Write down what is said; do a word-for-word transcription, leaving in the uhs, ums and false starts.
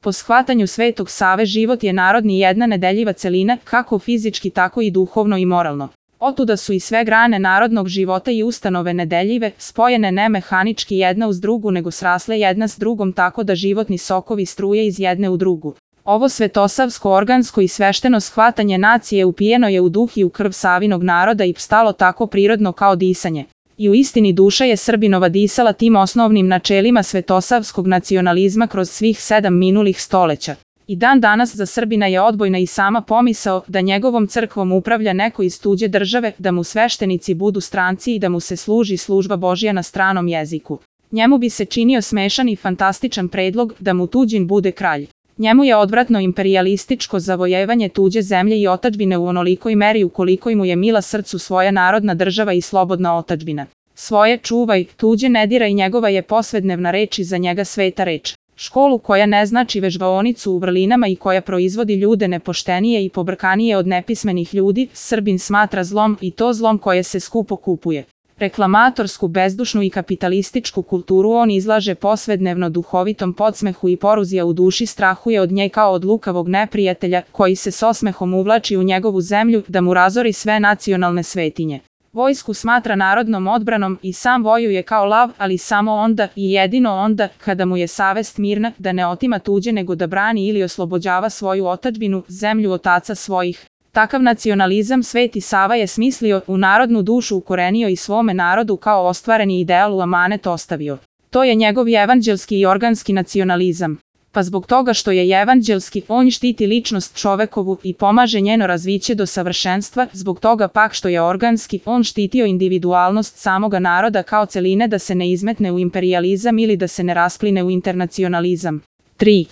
Po shvatanju Svetog Save život je narodni jedna nedeljiva celina, kako fizički tako i duhovno i moralno. Otuda su i sve grane narodnog života i ustanove nedeljive, spojene ne mehanički jedna uz drugu nego srasle jedna s drugom tako da životni sokovi struje iz jedne u drugu. Ovo svetosavsko organsko i svešteno shvatanje nacije upijeno je u duh i u krv Savinog naroda i stalo tako prirodno kao disanje. I u istini duša je Srbinova disala tim osnovnim načelima svetosavskog nacionalizma kroz svih sedam minulih stoleća. I dan danas za Srbina je odbojna i sama pomisao da njegovom crkvom upravlja neko iz tuđe države, da mu sveštenici budu stranci i da mu se služi služba Božja na stranom jeziku. Njemu bi se činio smešan i fantastičan predlog da mu tuđin bude kralj. Njemu je odvratno imperijalističko zavojevanje tuđe zemlje i otadžbine u onolikoj meri ukoliko mu je mila srcu svoja narodna država i slobodna otadžbina. Svoje čuvaj, tuđe ne diraj, njegova je posvednevna reč i za njega sveta reč. Školu koja ne znači vežbaonicu u vrlinama i koja proizvodi ljude nepoštenije i pobrkanije od nepismenih ljudi, Srbin smatra zlom i to zlom koje se skupo kupuje. Reklamatorsku, bezdušnu i kapitalističku kulturu on izlaže posvednevno duhovitom podsmehu i poruzija u duši strahuje od nje kao od lukavog neprijatelja koji se s osmehom uvlači u njegovu zemlju da mu razori sve nacionalne svetinje. Vojsku smatra narodnom odbranom i sam vojuje kao lav, ali samo onda i jedino onda kada mu je savest mirna da ne otima tuđe nego da brani ili oslobođava svoju otadžbinu, zemlju otaca svojih. Takav nacionalizam Sveti Sava je smislio, u narodnu dušu ukorenio i svome narodu kao ostvareni ideal u amanet ostavio. To je njegov evanđelski i organski nacionalizam. Pa zbog toga što je evanđelski, on štiti ličnost čovekovu i pomaže njeno razviće do savršenstva, zbog toga pak što je organski, on štitio individualnost samoga naroda kao celine da se ne izmetne u imperijalizam ili da se ne raspline u internacionalizam. tri.